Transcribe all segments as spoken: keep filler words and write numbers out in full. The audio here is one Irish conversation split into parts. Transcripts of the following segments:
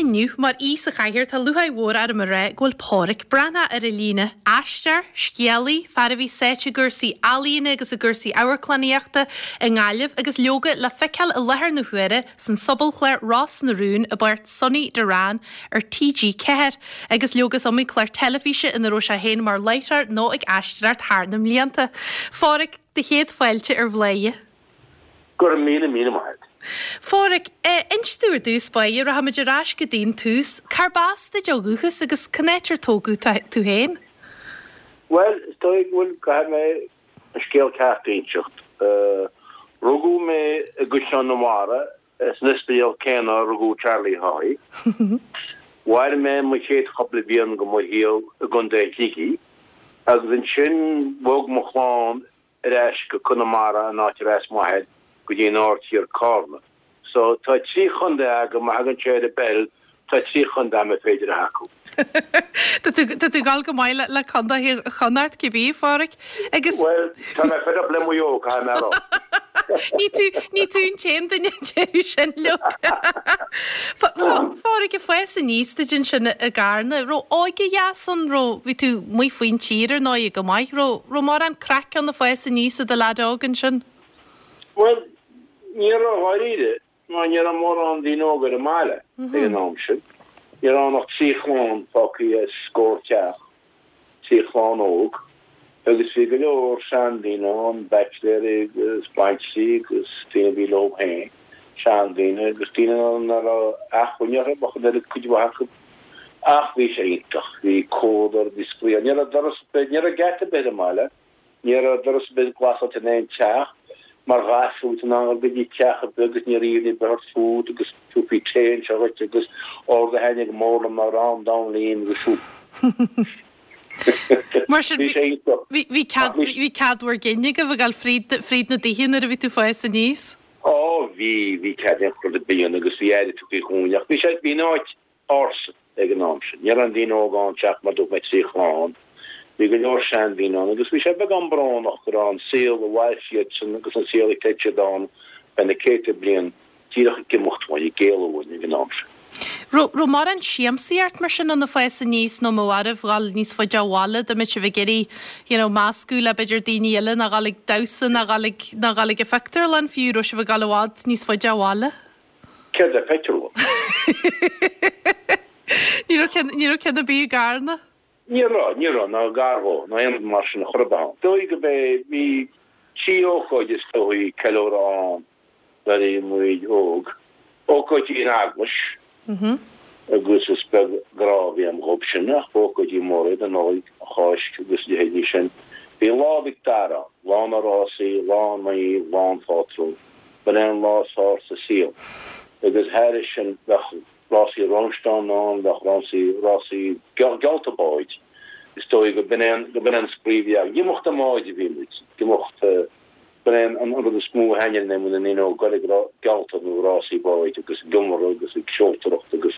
Inniu, mar aoi sa chathaoir, tá lúcháir mhór orm a rá go bhfuil Pádhraic Breathnach ar an líne. Aisteoir, scéalaí, fear a bhí sáite i gcúrsaí ealaíne agus i gcúrsaí amharclannaíochta i nGaillimh agus leoga le feiceáil i láthair na huaire san sobalchlár Ros na Rún i bpáirt Sonny Doran ar T G ceathair agus leoga is iomaí clár teilifíse ina raibh sé féin mar láithreoir nó ag aisteoireacht thar na mblianta. Phádhraic, do chéad fáilte ar Bhladhaire. Go raibh míle míle maith. Phádhraic, inis dúinn ar dtús báire, rachaimid ar ais go dtí'n tús, Cárb as duit ó dhúchas agus cén áit ar tógadh tú féin? Well, is dóigh go bhfuil caithfidh mé an scéal ceart a inseacht. Rugadh mé i gCaisleán na Mara san ospidéal céanna rugadh Charlie Haughey. Mhair mé mo chéad chúpla bliain de mo shaol i gContae Shligigh, agus ansin bhog mo chlann ar ais go Conamara an áit ar as m'athair go dtí an Aird Thiar Carna. So tá trí chontae agam má thagann sé ar an bpeil tá trí chontae agam féidir a thacú. Tá tú gal go maith le contae Chonnacht cibé Phádhraic agus Well tá mé fed up le Maigh Eo caithfidh mé a rá. Ní tú ní tú an t-aon duine deir sin le Phádhraic ag fás aníos duit ansin i gCarna, raibh óige dheas ann raibh bhí tú amuigh faoin tír ar ndóigh go maith, raibh raibh mórán craic ann ag fás aníos i do leaid óg ansin. Well ní raibh dáiríre mar ní raibh mórán daoine óga ar an mbaile ag an am sin. Ní raibh ach trí chlann fágtha as scór teach, trí chlann óg, agus bhí go leor seandaoine ann baitsiléirí agus baintrí agus daoine bhí leo féin, seandaoine agus daoine nach raibh acmhainn orthu ach an oiread cuid mhaith acu. Ach bhí sé iontach, bhí comhluadar, bhí spraoi, ní raibh doras ní raibh geata ar bith ar an mbaile, ní raibh doras ar bith glasáilte in aon teach, mar ghasúr in ann go dtí teach ar bith agus ní raibh aon bheart fút agus thabharfaí tae anseo dhuit agus rud a thaitnigh go mór liom ná arán donn lín agus súp. Mar sin Bhí sé iontach. bhí bhí cead bhí cead bhur gcinn agaibh a ghabháil fríd fríd na dtithe nuair a bhí tú ag fás aníos. Ó bhí bhí cead aon rud ar bith a dhéanamh agus bhí aire tugtha dhúinn ach bhí sé bhí an áit ársa ag an am sin. Ní raibh aon daoine óg ann teach mar dúirt mé trí chlann. Bhí go leor seandaoine ann agus bhí sé beagán brónach go raibh an saol a mhair siadsan agus an saol a chreid siad ann feadh na céadta bliain díreach ag imeacht uainn ag éalú uainn ag an am sin. Raibh raibh mórán siamsaíocht mar sin ann ag fás aníos nó má mharbh ghabháil níos faide ó bhaile dá mbeadh sibh ag iarraidh you know, meascadh le b'fhéidir daoine eile ná ghabháil ag damhsa ná ghabháil ag ná ghabháil ag an phictiúrlann fiú raibh sibh ag gabháil i bhfad níos faide ó bhaile. Céard é pictiúrlann? Ní raibh ceann ní raibh ceann ar bith i gCarna. Ní raibh ní raibh ná gar dó ná aon mar sin a chur ann. Dóigh go bé bhí trí ócáid is dóigh ceiliúradh ann nuair a bhí muid óg. Ócáidí in eaglais agus is beag grá a bhí agam dhób sin ach ócáidí móra iad an Nollaig, an Cháisc agus leithéidí sin. Bhí Lá Mhic Dara, lá na rásaí, lá an naoimh, lá an phátrúin, b'in é an lá is fearr sa saol. Agus thairis sin bheadh rásaí rónsteán ann, bheadh rásaí rásaí geallta báid. Is dóigh go b'in é an go b'in é an spraoi a bhí againn. Imeacht i mbáid a bhí muid, imeacht b'in é an rud is mó a thaitníonn linn na ndaoine óg ag geallta nó rásaí báid agus ag iomarú agus ag seoltóireacht agus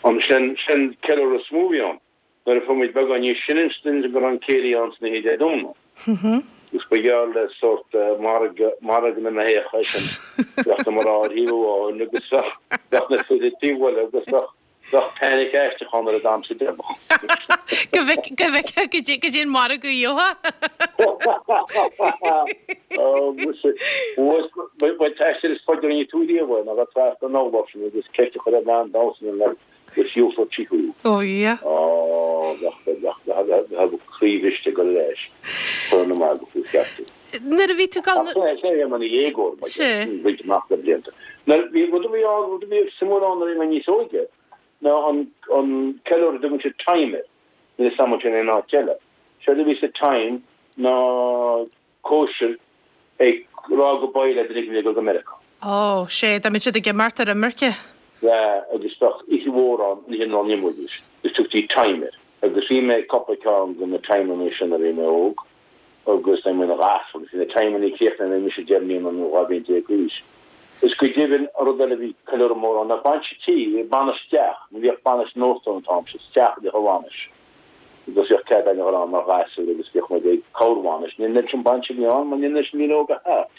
an sin sin ceiliúradh is mó a bhí ann. Nuair a fuair muid beagán níos sine ansin go raibh an céilí ann sna Dé Domhnaigh. Agus ba gheall le sórt margadh margadh na mbeithíoch é sin. Bheadh na mná ar thaobh amháin agus bheadh bheadh na fir ag taobh eile agus bheadh bheadh panic aisteach ann ar an damhsa deireanach. Go bhfeic go bhfeic go dtí go dtí an margadh gheofá. Ó muise ba t-aistear is faide a rinne tú riamh é ná bheith trasna an urláir sin agus ceist a chur ar bhean damhsa le go shiúlfadh sí thú. Ó Dhia. Ó bheadh bheadh bheadh croí bhriste go leis chur na margadh faoi cheartú. Nuair a bhí tú gal Ach sé é mar dhéagóir mar Sé. roinnt amach le blianta. Nuair bhí rud a bhí ann rud a bhí suimiúil ann nuair a bhí mé níos óige ná an an ceiliúradh a dtugann siad time air. Níl a fhios agam sin in áit eile. Séard a bhí sa time ná cóisir ag rá goodbye le duine a bhí ag dul go Meiriceá. Ó sé dá mbeadh siad ag imeacht ar imirce. Yeah, agus bheadh oíche mhór ann ní hin an imidís. Is tugtaí time air. Agus bhí mé cúpla ceann de na timeanna sin a bhí mé óg agus mé ina ghasúr agus bhí na timeanna críochnaithe nuair mise deich mbliana nó dhá bhliain déag d'aois. Is go deimhin an rud eile bhí ceiliúradh mór ann ná bainis tí, bainis teach, ní bhíodh bainis in óstán an t-am sin, teach a bhíodh i bhainis. Agus bhíodh cead againn a dhul ann mar ghasúir agus bhíodh muid ag corrbhainis. Ní an sin bainse a bhí ann mar ní an sin daoine óga thart.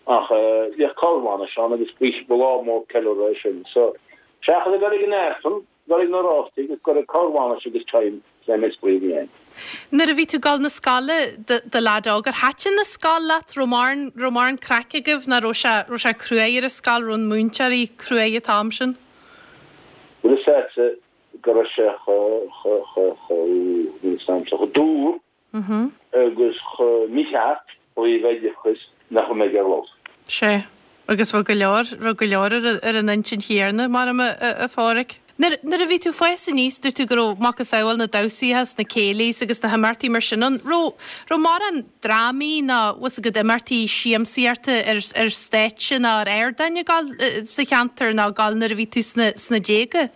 Ach bhíodh corrbhainis ann agus bhí ba lá mór ceiliúradh é sin. So Seachas a dhul ag an Aifreann, dul ag na Oráistigh agus dul ag corrbhainis agus time le mé spraoi a bhí ann. Nuair a bhí tú ag dul na scoile i do leaid óg, ar thaitin an scoil leat? Raibh mórán, raibh mórán craic agaibh nó raibh sé, raibh sé cruaidh ar an scoil, raibh na múinteoirí cruaidh an t-am sin? Bhuel is ea go raibh sé chomh, chomh, chomh, chomh, níl 'fhios a'msa, chomh dúr agus chomh mícheart ó thaobh oideachais nach raibh mé ag iarraidh labhairt. Sea. Agus bheadh go leor, bheadh go leor ar, ar an intinn chéanna, maram, a, a Pháraic. Nuair, nuair a bhí tú ag fás aníos, dúirt tú go raibh macasamhail na damhsaithe is na céilís agus na himeachtaí mar sin ann. Raibh, raibh mórán drámaí ná, bhfuil 's agat, imeachtaí siamsaíochta ar, ar stáitse ná ar ardáin ag dul sa cheantar ná ag dul nuair a bhí tú sna, sna déaga?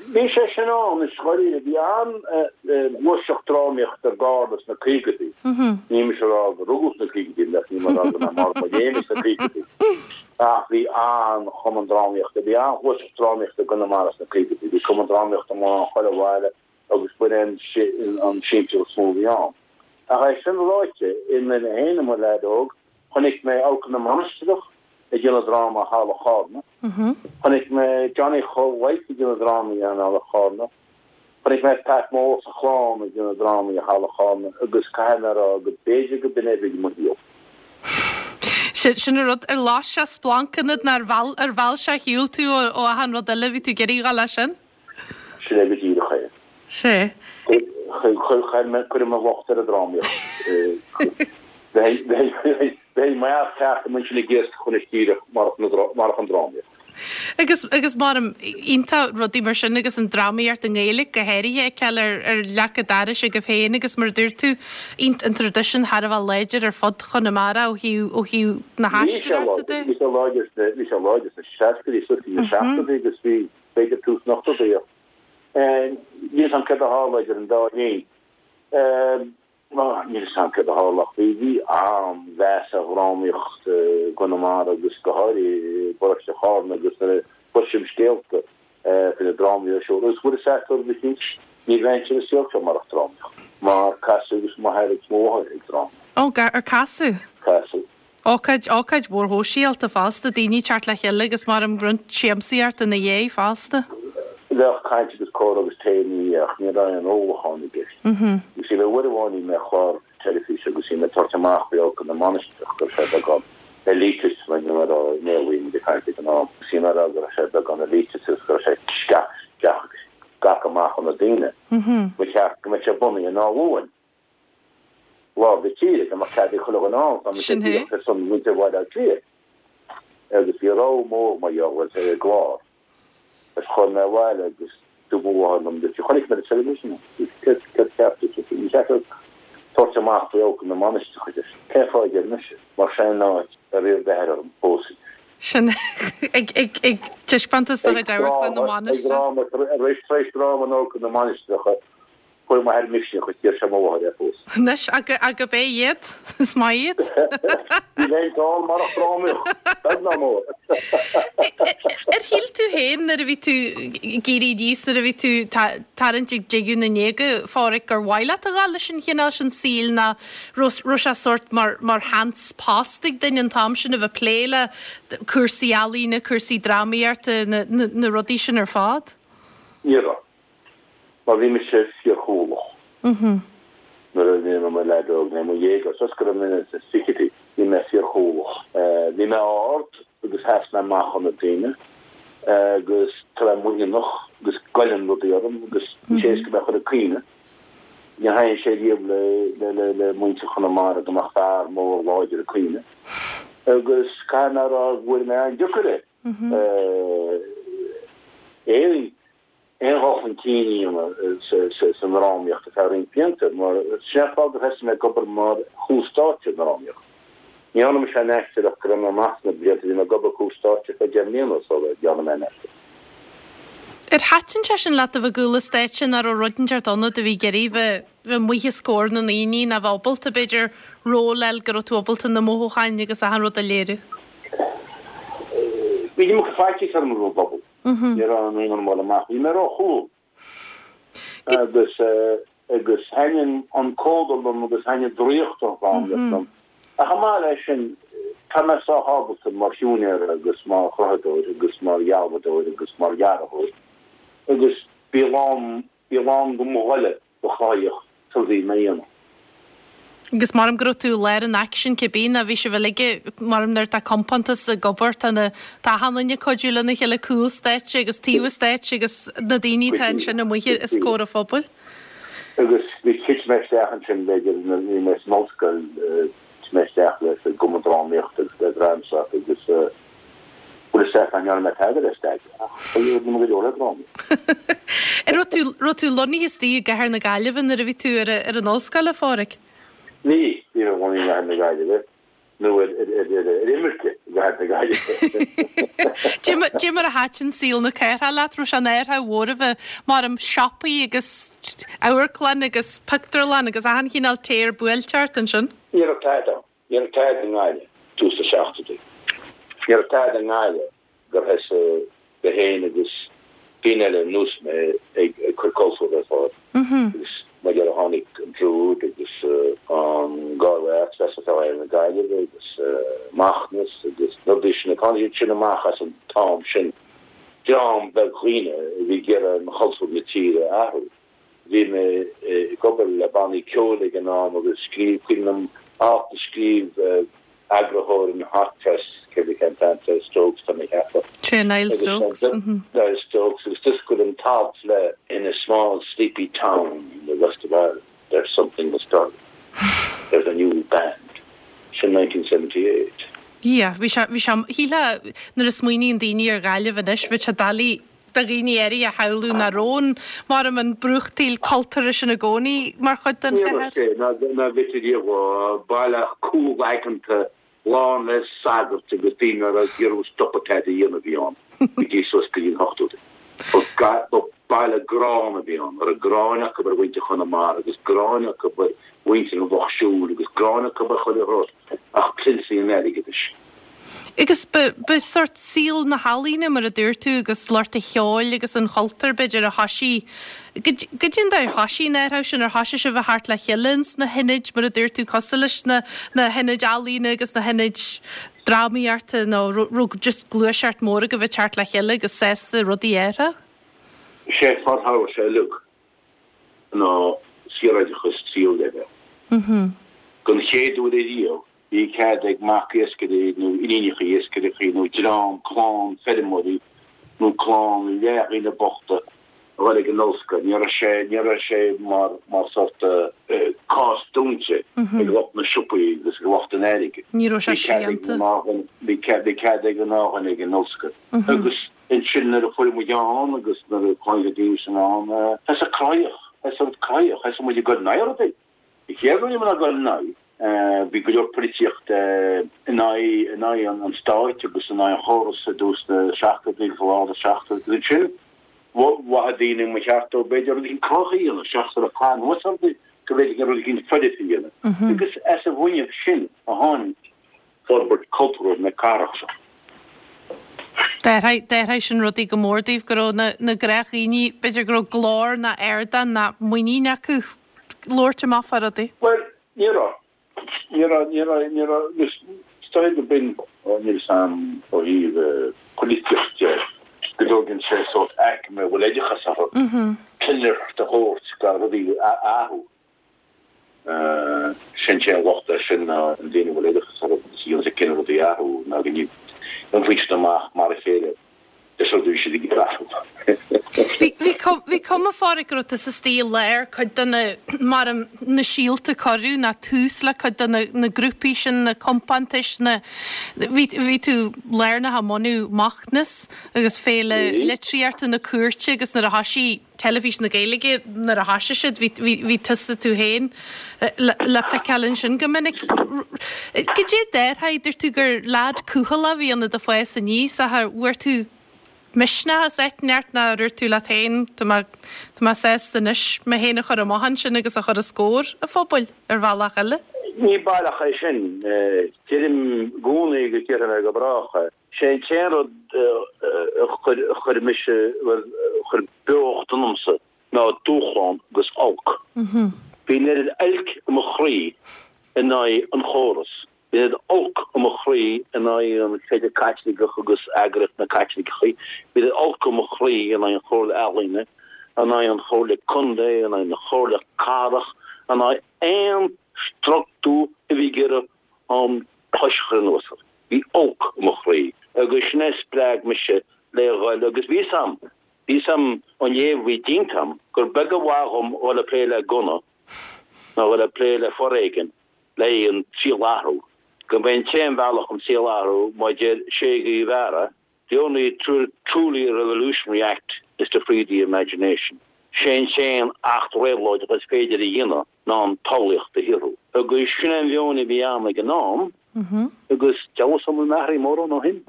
Bhí sé sin ann, is dóichí. Bhí an-ghluaiseacht drámaíochta i gCarna sna caogaidí. Níl mise ag rá gur rugadh sna caogaidí mé, níl mé ag rá go mbeidh marbh mo léim sna caogaidí. Ach bhí an-chumann drámaíochta, bhí an-ghluaiseacht drámaíochta i gConamara sna caogaidí. Bhí cumann drámaíochta amuigh chuile bhaile agus b'in an siamsaíocht is mó a bhí ann. Ach é sin ráite, i mé féin i mo leaid óg, chonaic mé Amharclann na Mainistreach ag déanamh dráma i Halla Charna. Chonaic mé Johnny Chóil Mhaidhc ag déanamh drámaí in Halla Charna. Chonaic mé Pat Mór is a chlann ag déanamh drámaí i Halla Charna agus caithfidh mé a rá go b'fhéidir go b'in é a bhí i mo shaol. Sin sin an rud, ar las sé splanc ionat nó ar mheall ar mheall sé ar shiúl tú ó ó achan rud eile, bhí tú ag iarraidh a dhul leis sin? Sin é go díreach é. Sea. Chuir mé cuirim mo locht ar an drámaíocht. Bheinn mar cheart go mbeinn sin ag iascach anois díreach marach an drámaíocht. Agus agus maram iontach rudaí mar sin agus an drámaíocht i nGaeilge go háirithe a fheiceáil ar ar leac an dorais agaibh féin agus mar a dúirt tú an traidisiún thar a bheith láidir ar fud Chonamara ó thaobh ó thaobh na Bhí sé haisteoireachta de. bhí sé láidir sna bhí sé láidir sna seascaidí suas go dtí na seachtóidí agus bhí b'fhéidir tús na n-ochtóidí ach níl 'fhios a'm céard a tharla idir an dá linn. Níl 'fhios a'm céard a tharla ach bhí bhí an-mheas ar dhrámaíocht i gConamara agus go háirithe i bparóiste Charna agus nuair a chloisim scéalta faoi na drámaí ar siúl agus bhfuil 'fhios a'd rud eicínt ní bheinnse ar an saol seo marach drámaíocht mar casadh agus m'athair agus mo mháthair ag drámaíocht. Ó, ar casadh? Casadh. Ócáid, ócáid mhór shóisialta fosta, daoine ag teacht le chéile agus maram roinnt siamsaíochta ina dhiaidh fosta. Bheadh caint agus comhrá agus tae ina dhiaidh ach ní raibh aon ólachán i gceist. You see, uair amháin bhí mé ar chlár teilifíse agus bhí mé ag tabhairt amach faoi Amharclann na Mainistreach go raibh sé beagán elitist mar ní raibh i mBéarla bhí muid ag caint ag an am. Bhí mé ag rá go raibh sé beagán elitist agus go raibh sé scagtha amach ó na daoine. Ba cheart go mbeadh sé bunaithe in Áth Luain. Lár na tíre, go mbeadh cead ag chuile dhuine ann, tá mise díreach ar son mhuintir Bhaile Átha Cliath. Agus bhí rabhadh mór mar gheall ar an gclár. Agus chuaigh mé abhaile agus dúirt mo mháthair liom, dúirt sí, chonaic mé ar an teilifís é. Dúirt sí, céard, céard cheap tú? Dúirt sí, ní cheart duit tabhairt amach faoi Amharclann na Mainistreach, a deir sí. Cén fáth a deir mise? Mar sin an áit ar iarr d'athair orm pósadh. Sin ag, ag, ag taispeántas de chuid Amharclann na Ag dráma, tar éis dráma in Amharclann na Mainistreach, Fuair m'athair misneach agus d'iarr sé mo mháthair ar phósadh. Anois, ach ab é iad, is maith iad. Ní bheinn ann marach drámaíocht, beag ná mór. Ar shíl tú féin nuair a bhí tú ag éirí aníos, nuair a bhí tú tarraingt ag deireadh na ndéaga, a Pháraic, gur mhaith leat a dhul leis an chineál sin saoil ná raibh sé sórt mar mar sheans post ag duine an t-am sin a bheith ag plé le cúrsaí ealaíne, cúrsaí drámaíochta, na rudaí sin ar fad? Ní raibh. Mar bhí mise fíorchúthalach nuair a bhí mé i mo leaid óg, nó i mo dhéagóir, toisc go raibh mé sna fichidí, bhí mé fíorchúthalach. Bhí mé ard agus sheas mé amach ó na daoine agus tá mé muiníneach agus goilleann rudaí orm agus bhí sé éasca mé a chur ag caoineadh. Níor thaitin sé riamh le muintir Chonamara go mbeadh fear mór láidir ag caoineadh agus caithfidh mé a rá go bhfuair mé an-deacair é. Éirí aon dhul chun cinn a dhéanamh sa ndrámaíocht ar feadh roinnt blianta, mar sin é an fáth gur thosaigh mé ag obair mar chúl stáitse i ndrámaíocht. Ní dhearna mise aon aisteoireacht go raibh mé amach sna blianta, bhí mé ag obair cúl stáitse ar feadh deich mbliana sula dhearna mé aon aisteoireacht. Ar thaitin sé sin leat a bheith i gcúl an stáitse nó raibh rud inteacht ionat a bhí ag iarraidh bheith bheith amuigh os comhair na ndaoine nó bheith ábalta, b'fhéidir, ról a fháil go raibh tú ábalta na mothúcháin agus achan rud a léiriú? Bhí an iomarca faitíos orm roimh an bpobal. Ní raibh aon aon mholadh amach. Bhí mé róchúthail agus agus thaitin an comhluadar liom agus thaitin draíocht an drámaíocht liom. Ach chomh maith leis sin, Tá mé sách ábalta mar shiúinéir agus mar chruthaitheoir agus mar dhealbhadóir agus mar dhearthóir agus bhí a lán, bhí a lán de mo ghoile do chruthaitheacht sula bhí mé a dhéanamh. Agus maram go raibh tú i lár an aicsin cibé ná bhí sibh uilig, maram nuair atá compántas ag obair tá na tá achan duine ag cuidiú lena chéile cúl stáitse agus taobh stáitse agus na daoine atá ansin amuigh os comhair an phobail. Agus bhí thit mé isteach ansin b'fhéidir nuair a bhí mé san ollscoil, thit mé isteach le sa gcumann drámaíochta agus le Dramsoc agus bhuel is ea ní dhearna mé tada le staidéar ach ba rinne mé go leor le drámaíocht. An raibh tú raibh tú lonnaithe istigh i gcathair na Gaillimhe nuair a bhí tú ar ar an ollscoil a Pháraic? Ní, ní raibh lonnaithe i gcathair na Gaillimhe nó ar ar imirce i gcathair na Gaillimhe. Dé mar a thaitin saol na cathrach leat, raibh sé ina chathair mhór a bheith mar am siopaí agus amharclann agus pictiúrlann agus achan chineál téir buailte ort ansin? Ní raibh tada ann. Ní raibh tada i nGaillimh tús na seachtóidí. Ní raibh tada i nGaillimh gur thosaigh mé féin agus daoine eile ar nós mé ag cur cultúr ar fáil. Agus mar dheireadh tháinig an Druid agus an Galway Arts Festival atá na Gaillimhe agus Macnas agus na rudaí sin. Tháinig siad sin amach as an t-am sin. Dream beag dhaoine a bhí ag iarraidh an chultúr na tíre a athrú. Bhí mé ag obair le bannaí ceoil ag an am agus scríobh, cuimhin liom alt a scríobh eagarthóir an Hot Press, cibé cén t-ainm atá air, Stokes tá mé ag ceapadh. Sé Niall Stokes. Niall Stokes agus d'oscail an t-alt le In a small sleepy town in the west of Ireland there's something astir. There's a new band. Sin nineteen seventy eight. Yeah, bhí sé, bhí sé, shílfeá nuair a smaoiníonn daoine ar Ghaillimh anois, bheadh sé doiligh do dhaoine áirithe a shamhlú nach raibh an, mar an brúchtaíl cultúrtha sin i gcónaí mar chuid den Ní raibh chathair. sé, ná, ná bhí riamh, baile cúlaigeanta lán le sagairt agus daoine a raibh ag iarraidh stopadh tada a dhéanamh a bhí ann go dtí suas go dtí an hochtóidí. Ba ga-, ba baile gránna a bhí ann, a raibh gráin acu ar mhuintir Chonamara agus gráin acu ar mhuintir an Lucht Siúil agus gráin acu ar chuile rud ach prionsaí an airgeadais. Agus ba, ba sort saol na healaíne mar a dúirt tú agus lucht an cheoil agus an chultúir b'fhéidir a thoisigh, goidé an dóigh ar thoisigh an athrú sin, ar thoisigh sibh a theacht le chéile ins na hionaid mar a dúirt tú cosúil leis na, na hionaid ealaíne agus na hionaid drámaíochta nó raibh just gluaiseacht mór agaibh ag teacht le chéile agus sásta rudaí a athrú? Sé fad tharla sé uilig ná saoroideachas tríú leibhéal. Don chéad uair ariamh bhí cead ag mac iascairí nó iníonacha iascairí nó dream clann feirmeoirí nó clann leathdhaoine bochta a dhul ag an ollscoil. Ní raibh sé, ní raibh sé mar, mar sórt cás dúnta ag lucht na siopaí agus ag lucht an airgid. Ní raibh sé Bhí cead ag srianta. gnáthdhuine, bhí cead, bhí cead ag gnáthdhuine ag an ollscoil. Agus ansin nuair a fuair muid ann agus nuair a tháinig na daoine sin ann, thosaigh cruthaitheacht, thosaigh cruthaitheacht, thosaigh muid ag dul in aghaidh rudaí. Bhí céad rud ag dul in aghaidh. Bhí go leor polaitíocht in aghaidh, in aghaidh an, an stáit agus in aghaidh an chórais i dtús na seachtóidí agus i lár na seachtóidí. Agus ansin, mhothaigh daoine mba cheart dóibh b'fhéidir rud éigin cruthaitheach a dhéanamh, seachas a bheith ag caitheamh anuas ar rudaí, go bhféadfaí rud éigin foirfe a dhéanamh. Agus as an bhfuinneamh sin a tháinig forbairt cultúrtha na cathrach seo. D'athraigh, d'athraigh sin rudaí go mór daoibh, go raibh na, na gnáthdhaoine, b'fhéidir go raibh glór ná ardán ná muinín acu labhairt amach fá rudaí. Bhuel, ní raibh. Ní raibh, ní raibh, ní raibh, is dóigh go b'in, ó, níl 'fhios a'm ó thaobh polaitíocht de, go dtógann sé sórt aicme a bhfuil oideachas orthu, tuilleadh de thabhairt go rudaí a athrú. Sin sé an locht air sin ná an daoine a bhfuil oideachas orthu agus a dhéanann siad cinneadh rudaí a athrú ná go n-iompaíonn siad amach mar a chéile leis an rud a bhí siad ag iarraidh athrú. Bhí, bhí cum, bhí cuma a Pháraic go raibh tusa istigh i lár cuid de na, mar an, na síolta a cuireadh ná tús le cuid de na, na grúpaí sin, na compántais, na, bhí, bhí tú lárnach i mbunú Macnas agus Féile Bhí. Litríochta na Cúirte agus nuair a thoisigh Teilifís na Gaeilge, nuair a thoisigh siad, bhí, bhí, bhí tusa tú féin le, le feiceáil ansin go minic. Goidé déarfá, dúirt tú gur leaid cúthaileach a bhí ionat ag fás aníos, ach ar bhfuair tú misneach as áit inteacht nó ar dhúirt tú leat féin, tá mé, tá mé sásta anois mé féin a chur amach ansin agus a chur os comhair an phobail ar bhealach eile? Ní baileach é sin. Deirim i gcónaí agus déarfaidh mé go brách é. Sé an t-aon rud a chuir, a chuir mise, bhuel, a chuir beocht ionamsa ná dúshlán agus olc. Bhí an oiread oilc i mo chroí in aghaidh an chórais. Bhí an oiread olc i mo chroí aghaidh an Chreideamh Caitliceach agus eagraíocht na Caitliceacha, bhí olc i mo chroí in aghaidh an Chomhairle Ealaíne, in aghaidh an Chomhairle Contae, in aghaidh na Comhairle Cathrach, in aghaidh aon struchtúr a bhí ag iarraidh an chois a chur anuas orm. Bhí olc i mo chroí agus sin é a spreag mise le dhul agus bhí 'fhios a'm, bhí 'fhios a'm ón léamh a bhí déanta a'm gur beag a mhaith dhom dhul ag plé le gunna ná dhul ag plé le foréigean le an saol a athrú, go mba é an t-aon bhealach an saol a athrú mar a deir Che Guevara, The only truly revolutionary act is to free the imagination. Sé an t-aon acht réabhlóideach is féidir a dhéanamh ná an tsamhlaíocht a shaothrú. Agus sin an mheon a bhí ann ag an am agus dealbh sam an athraigh mórán ó shin.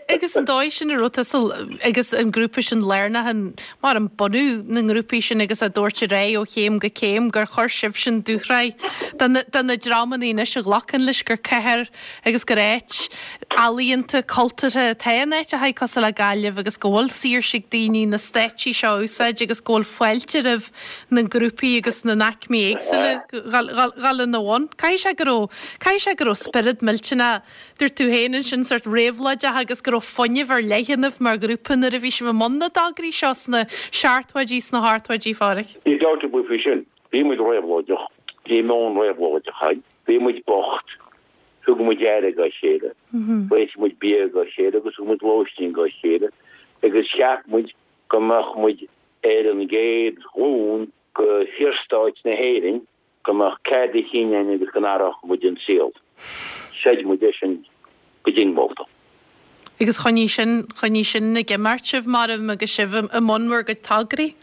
Agus an dóigh sin a raibh tusa agus an grúpa sin lárnach in mar an bunú na ngrúpaí sin agus a dtabhairt ar aghaidh ó chéim go céim gur chuir sibhsean dúshraith do na dreamanna anois a ghlacann leis gur cathair agus gur áit ealaíonta, cultúrtha atá in áiteacha cosúil le Gaillimh agus go bhfuil saoirse ag daoine na stáitsí seo a úsáid agus go bhfuil fáilte roimh na grúpaí agus na n-aicmí éagsúla dhul ina bhun. Caithfidh sé go raibh, caithfidh sé go raibh spiorad millteanach, dúirt tú féin ansin, sórt réabhlóideach agus go raibh fuinneamh ar leith ionaibh mar ghrúpa nuair a bhí sibh i mbun na dtograí seo sna seachtóidí, sna hochtóidí, a Pháraic. Níl dabht ar bith faoi sin. Bhí muid réabhlóideach, bhí meon réabhlóideach againn. Bhí muid bocht, thug muid aire dá chéile, réitigh muid bia dá chéile agus thug muid lóistín dá chéile agus cheap muid go mbeadh muid ar an gcéad ghlúin go Shaorstát na hÉireann go mbeadh cead a chinn againn agus go n-athródh muid an saol. Chreid muid é sin go diongbháilte. Agus choinnigh sin, choinnigh sin ag imeacht sibh maram agus sibh i mbun bhur gcuid tograí?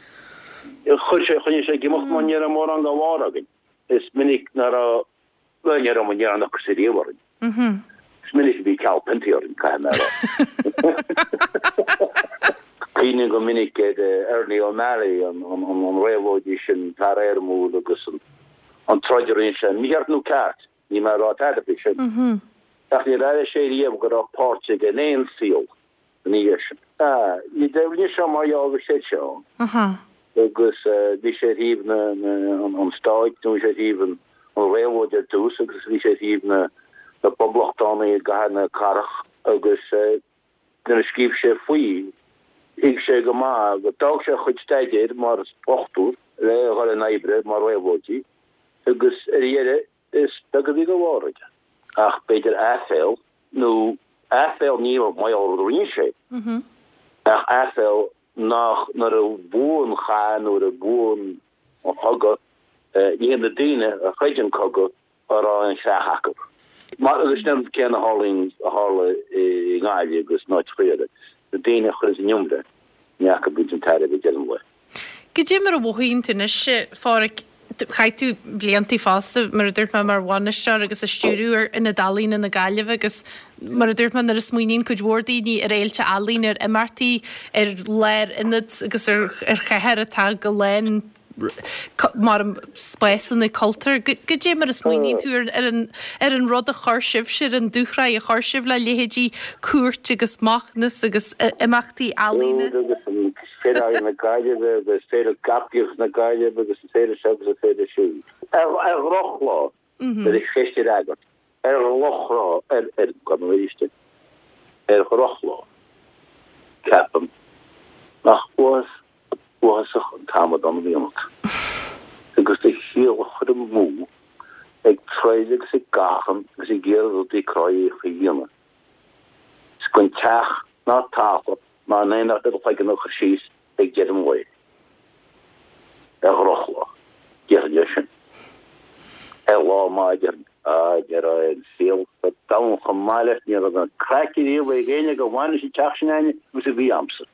Chuir sé, choinnigh sé ag imeacht mar ní raibh mórán dá bharr againn. Is minic nach raibh, bhuel ní raibh ní raibh an ocras ariamh orainn. Is minic a bhí ceal piontaí orainn, caithfidh mé a rá. Cuimhním go minic ar Ernie O'Malley, an réabhlóidí sin, fear éirimiúil agus an troid a rinne sé, mícheart nó ceart, níl mé ag rá tada faoi sin. Ach níor airigh sé riamh go raibh páirt aige in aon saol ina dhiaidh sin. Ní rinne sé mar gheall gur chreid sé ann. Agus bhí sé ar thaobh an stáit nó bhí sé ar thaobh an réabhlóid ar dtús agus bhí sé ar thaobh na bpoblachtánaigh i gcathair na cathrach agus nuair a scríobh sé faoi, thuig sé go maith go d'fhág sé a chuid staidéir mar dhochtúir le dhul in oibre mar réabhlóidí agus ar dheireadh is beag a bhí de bharr aige ach b'fhéidir aiféal nó aiféal ní mar gheall ar rud a rinne sé ach aiféal nach nuair a bhuaigh an chath nuair a bhuaigh an cogadh ní hiad na daoine a throid an cogadh a raibh an chreach acu. Mar agus sin an rud céanna a tharlaíonn, a tharla i nGaillimh agus in áiteacha eile, na daoine a chuireann in iomrá, ní acu a bhaint an tairbhe ag deireadh an lae. Goidé mar a mhothaíonn tú anois, a Pháraic, chaith tú blianta fosta, mar a dúirt mé, mar bhainisteoir agus ag stiúradh ar Ionad Ealaíne na Gaillimhe agus mar a dúirt mé, nuair a smaoiníonn cuid mhór daoine ar fhéilte ealaíne, ar imeachtaí, ar lárionad agus ar chathair atá go lán mar spásanna cultúir. Goidé mar a smaoiníonn tú ar an ar an rud a chuir sibhse, ar an dúshraith a chuir sibh le leithéidí Cúirt agus Macnas agus imeachtaí ealaíne? Cúirt agus an Féile Ealaíon na Gaillimhe agus Féile Gabhadh na Gaillimhe agus an féile seo agus an féile siúd. Ar dhrochlá, nuair a cheist a fhreagairt, ar dhrochlá, ar, ar, gabh mo leithscéal, ar dhrochlá, ceapaim nach uathas uathasach an t-amadán a bhí ionat, agus do shaol a chur amú ag troid agus ag achrann agus ag iarraidh rudaí cruthaitheacha a dhéanamh, is gan teach ná talamh ná aon rud ar do chloigeann a chur síos ag deireadh an lae. Ar dhrochlá, déarfainn é sin. Ar lá maith, déarfainn, Á, ní raibh an saol sa domhan chomh maith leis, ní raibh an craic ariamh ag éinne go bhfaca an teach sin againne agus a bhí a'msa.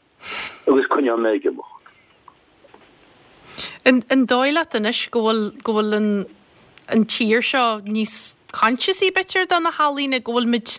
Agus coinneoidh mé ag imeacht. An dóigh leat anois go bhfuil, go bhfuil an, an tír seo níos coinsiasaí b'fhéidir do na healaíona, go bhfuil muid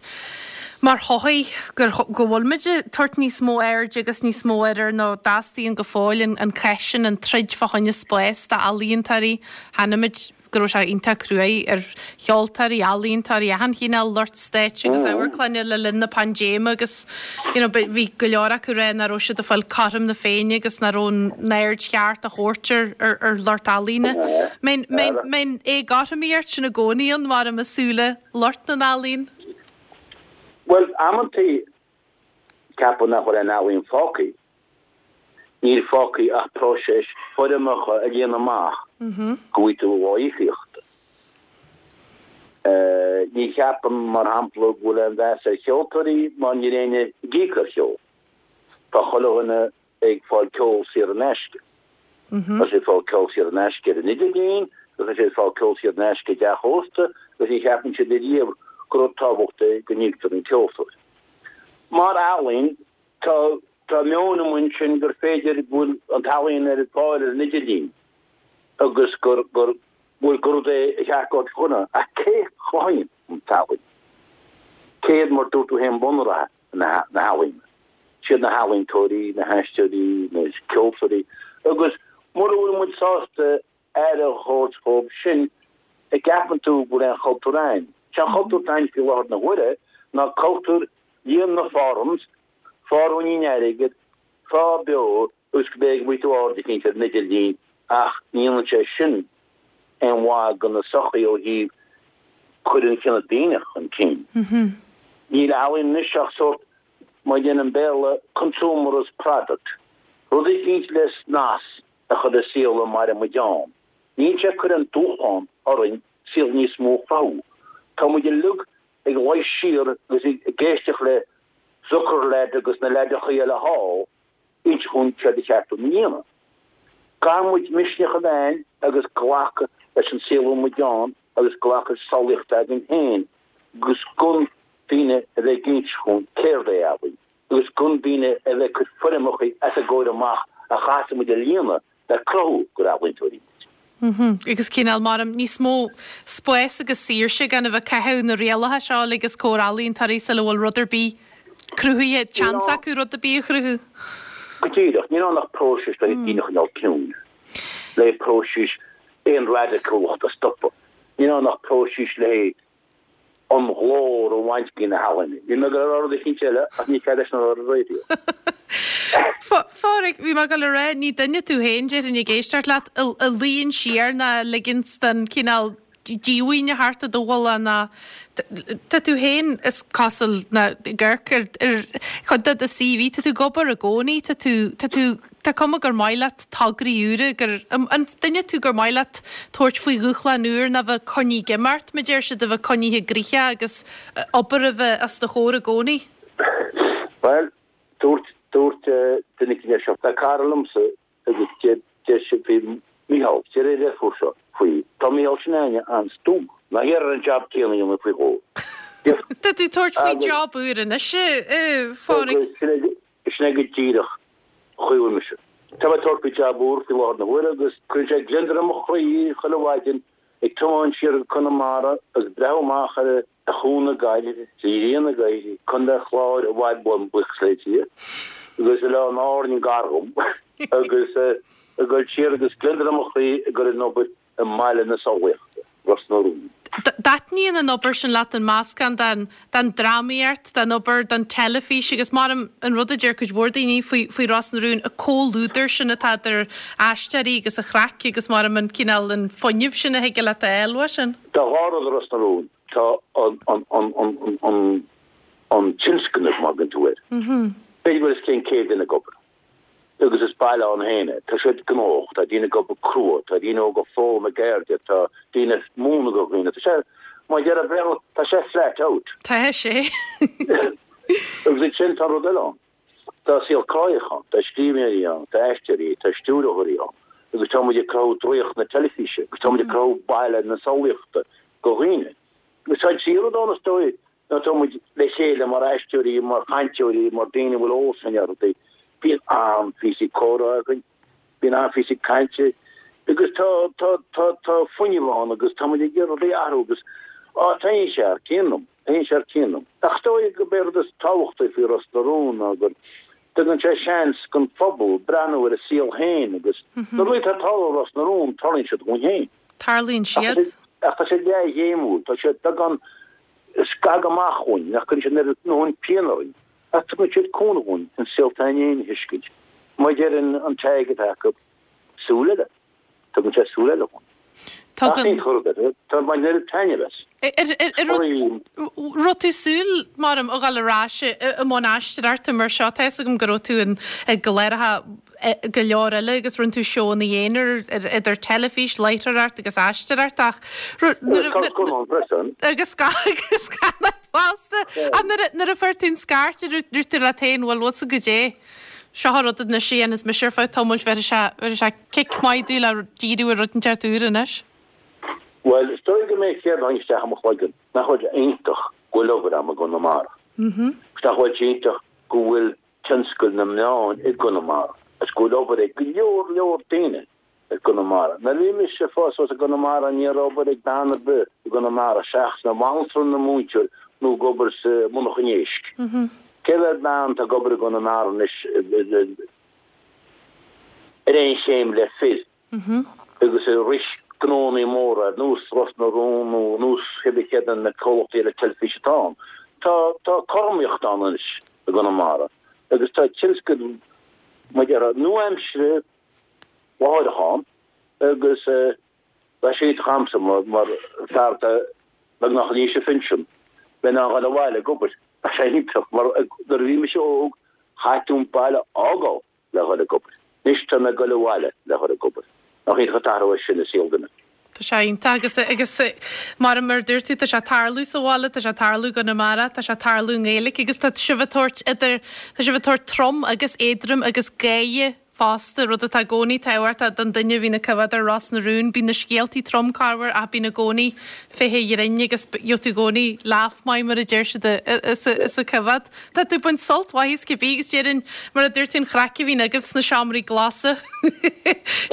mar shochaí, gur, go bhfuil muid ag tabhairt níos mó airde agus níos mó aire nó dteastaíonn go fóill an, an cath sin, an troid fá choinne spás d'ealaíontóirí. Chonaic muid go go raibh sé iontach cruaidh ar cheoltóirí, ealaíontóirí, achan chineál lucht stáitse agus amharclainne le linn na paindéime agus you know bhí go leor acu ag rá nach raibh siad ag fáil cothrom na Féinne agus nach raibh an aird cheart á thabhairt ar ar ar lucht ealaíne. An mbíonn éagothromaíocht sin i gcónaí ann mar i súile lucht na n-ealaíon? Bhuel, amantaí ceapaim nach bhfuil aon ealaíon fágtha. Níl fágtha ach próiseas foirmeacha a líonadh amach go bhfaighidh tú do íocaíocht. Ní cheapaim, mar shampla, go bhfuil aon mheas ar cheoltóirí mar níl éinne ag íoc ar cheol. Tá chuile dhuine ag fáil ceol saor in aisce. Tá siad ag fáil ceol saor in aisce ar an idirlíon, tá siad ag fáil ceol saor in aisce i dteach ósta agus ní cheapann siad ariamh gur rud tábhachtach é go n-íoctar an ceoltóir. Mar ealaín, tá tá meon amuigh ansin gur féidir go bhfuil an t-ealaíon ar fáil ar an idirlíon agus gur gur bhfuil gur rud é a cheart go dhuine ach cé a chruthaíonn an t-ealaín? Cé hiad mar dúirt tú féin bunreatha na na healaíona? Siad na healaíontóirí, na haisteoirí, na ceoltóirí agus mura bhfuil muid sásta aire a thabhairt dhóibh sin, an gceapann tú go bhfuil aon chultúr ann? Sé an cultúr atá ann faoi láthair na huaire ná cultúr líon na forms, faigh ruainnín airgid, faigh beo agus go b'fhéidir go bhfaighidh tú aird eicínt ar an idirlíon ach ní dhéanann sé sin aon mhaith do na sochaí ó thaobh cur an chine daonna chun cinn. Níl ealaín anois ach sórt, mar a deir an Béarla, consumerist product, rud eicínt le snas a chur ar saol a maireann muid ann. Níl sé ag cur aon dúshlán orainn saol níos mó a chruthú. Tá muid uilig ag luí siar agus ag éisteacht le Zuckerlad agus na leaideachaí eile thall, inse dhúinn céard ba cheart dúinn a dhéanamh. Caithfidh muid misneach a bheith againn agus glacadh leis an saol a bhfuil muid ann agus glacadh leis an samhlaíocht atá againn féin agus gan daoine a bheith ag inse dhúinn céard é ealaín agus gan daoine a bheith ag cur foirmeacha os ár gcomhair amach a chaithfidh muid a líonadh le cruthú gur ealaíontóirí muid. Agus cineál mar níos mó spáis agus saoirse gan a bheith ag caitheamh na rialacha seo uilig os comhair ealaíontóirí sula bhfuil rud ar bith cruthaithe, seans acu rud ar bith a chruthú. Go díreach, níl ann ach próiseas le daoine a choinneáil ciúin, le próiseas aon radacúlacht a stopadh. Níl ann ach próiseas le an ghlór a bhaint de na healaíona. Bhí mé ag dul a rá rud eicínt eile ach ní cead é sin a rá ar an raidió. Phádraig, bhí mé ag dul a rá, ní duine tú féin, déarfainn ag éisteacht leat, a luíonn siar ná a ligeanns don cineál díomhaoine a theacht i do bhuille ná tá tú féin is cosúil ná ag amharc ar ar chuid de do CV, tá tú ag obair i gcónaí, tá tú, tá tú, tá cuma gur maith leat tograí úra, gur, an duine tú gur maith leat tabhairt faoi dhúshlán úr ná bheith coinnithe ag imeacht, mar deir siad, a bheith coinnithe gnoitheach agus obair a bheith os do chomhair i gcónaí? Bhuel, dúirt, dúirt duine eicínt leis seo, tá cara liomsa agus deir, deir sé faoi Mícheál, deir a dheirfiúr seo faoi, tá Mícheál sin againne an-stuama. Ná hiarr air an jab céanna a dhéanamh faoi dhó. Tá tú ag tabhairt faoi job úr anois, a Phádraig. Sin é go díreach an chaoi a bhfuil mise. Tá mé ag tabhairt faoi job úr faoi láthair na huaire agus cuireann sé gliondar i mo chroí chuile mhaidin ag tiomáint siar go Conamara agus breathnú amach ar Chuan na Gaillimhe, is an ghrian ag éirí, Contae an Chláir i bhfad uaim, buíochas le Dia, agus Oileán Árainn gar dhom agus ag dul siar agus gliondar i mo chroí ag dul ag obair i mbaile na samhlaíochta, Ros na Rún. Dtaitníonn an obair sin leat, an meascán den den drámaíocht, den obair don teilifís agus mar an rud a deir cuid mhór daoine faoi faoi Ros na Rún, an comhluadar sin atá idir aisteoirí agus an chraic agus mar an cineál an fuinneamh sin a thig leat a fháil uaidh sin. Tá dhá rud i Ros na Rún, tá an an an an an an tionscnamh má thugann tú air. B'fhéidir go bhfuil os cionn céad duine ag obair. Agus is baile ann féin é. Tá siad gnóthach, tá daoine ag obair crua, tá daoine óga ag foghlaim a gceirde, tá daoine ag múineadh do dhaoine. Tá sé, mar a deir an Béarla, tá sé flat out. Tá sé. Agus ansin tá rud eile ann. Tá saol cruthaitheach ann, tá scríbhneoirí ann, tá aisteoirí, tá stiúrthóirí ann agus tá muid ag cruthú draíocht na teilifíse agus tá muid ag cruthú baile na samhlaíochta do dhaoine. Agus tá an tríú rud ann is dóigh ná tá muid le chéile mar aisteoirí, mar chainteoirí, mar daoine a bhfuil eolas againn ar rudaí. Bíonn an-phíosaí comhrá againn, bíonn an-phíosaí cainte agus tá, tá, tá, tá fuinneamh ann agus tá muid ag iarraidh rudaí a athrú agus, á, taitníonn sé thar cionn liom, taitníonn sé thar cionn liom. Ach is dóigh gurb é rud is tábhachtaí faoi Ros na Rún ná gur tugann sé seans don phobal breathnú ar a saol féin agus na rudaí atá ag tarlú i Ros na Rún, tarlaíonn siad dhúinn féin. Tarlaíonn siad. Ach tá siad leathghéimiúil, tá siad beagán scag amach uainn, nach gcuireann siad an oiread ndóthain pian orainn, ach tugann siad cúnamh dhúinn an saol atá againn a thuiscint. Mar a deireann an tag atá acu, súil eile. Tugann sé súil eile dhúinn. Tugann. Tá mé an oiread taitneamh as. Raibh tú súil mar a dhul ar ais i mbun aisteoireachta mar seo, tá fhios agam go raibh tú i gcláracha go leor eile agus rinne tú seónna aonair idir teilifís, láithreoireacht agus aisteoireacht ach agus scannáin fosta. Ach nuair a fuair tú an scairt an ndúirt tú leat féin bhuel what's a good day? Seo an rud anois a dhéanfas mise ar feadh tamaill bhéarfaidh sé bhéarfaidh sé cic maith domh le díriú ar rud inteacht úr anois. Bhuel, is dóigh go mbeidh céard a tháinig isteach i mo chloigeann, nach bhfuil sé iontach go bhfuil obair agam i gConamara. Agus nach bhfuil sé iontach go bhfuil tionscal na meán i gConamara agus go bhfuil obair ag go leor leor daoine i gConamara. Nuair a bhí mise ag fás suas i gConamara ní raibh obair ag bean ar bith i gConamara seachas ina banaltra nó múinteoir nó ag obair sa monarcha éisc. Cé mhéad bean atá ag obair i gConamara anois ar aon chéim le fir agus ag rith gnónnaí móra ar nós Ros na Rún nó nós cibé cé de na comhlachtaí eile teilifíse atá ann. Tá tá cothromaíocht ann anois i gConamara agus tá tionscal mar a déarfá nua-aimseartha láithreach ann agus tá sé iontach a'msa mar fear atá beagnach in aois an phinsin bheith in ann dhul abhaile ag obair. Tá sé iontach mar nuair a bhí mise óg chaithfeadh tú an baile a fhágáil le dhul ag obair. Anois tá mé ag dul abhaile le dhul ag obair. Nach iontach an t-athrú é sin i saol duine. Tá sé iontach agus agus mar mar dúirt tú tá sé tarlú sa bhaile, tá sé tarlú i gConamara, tá sé tarlú i nGaeilge agus tá sibh ag tabhairt idir tá sibh ag tabhairt trom agus éadrom agus gáire fosta, rud atá i gcónaí tábhachtach don duine a bhíonn ag coimhéad ar Ros na Rún. Bíonn na scéaltaí trom corruair ach bíonn i gcónaí fiche ghrinn agus gheobhaidh tú i gcónaí laugh maith mar a deir siad sa choimhéad. Tá tú ag baint sult mhaith as cibé agus déarfainn mar a dúirt tú an chraic a bhíonn agaibh sna seomraí glasa.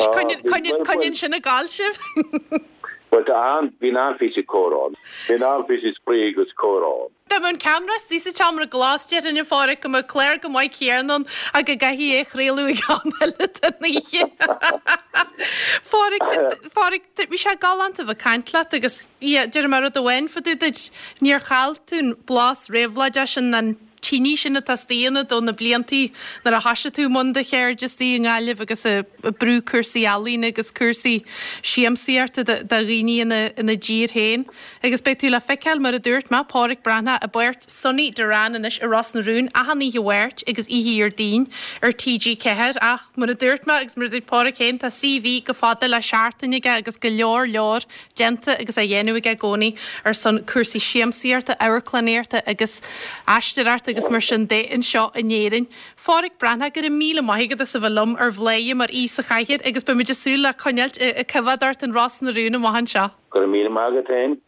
Coinníonn sin ag gabháil sibh. Bhuel tá an, bíonn an-phíosa comhrá ann. Bíonn an-phíosa spraoi agus comhrá ann. Dá mbeadh an ceamara istigh sa tseomra glas déarfainn a Pháraic go mbeadh clár go maith céanna ann ach go gcaithfí é a chraoladh ag am eile den oíche. Pháraic, Pháraic, bhí sé galánta a bheith ag caint leat agus yeah, déarfaidh mé rud amháin fá dtaobh duit, níor chaill tú an blas réabhlóideach sin an tine sin atá istigh ionat ó na bliantaí nuair a thoisigh tú i mbun do cheirde istigh i nGaillimh agus ag brú cúrsaí ealaíne agus cúrsaí siamsaíochta do dhaoine ina ina dtír féin. Agus beidh tú le feiceáil, mar a dúirt mé, Páraic Breathnach i bpáirt Sonny Doran anois i Ros na Rún achan oíche Mháirt agus oíche Dhéardaoin ar T G ceathair ach mar a dúirt mé agus mar a dúirt Páraic féin tá C V chomh fada le seachtain aige agus go leor leor déanta agus á dhéanamh aige i gcónaí ar son cúrsaí siamsaíochta, amharclannaíochta agus aisteoireachta agus mar sin de anseo in Éirinn. Pháraic Breathnach, go raibh míle maith agat as a bheith liom ar Bhladhaire mar aoi sa chathaoir agus beimid ag súil le coinneáilt ag coimhéad ort in Ros na Rún amach anseo. Go raibh míle maith agat féin.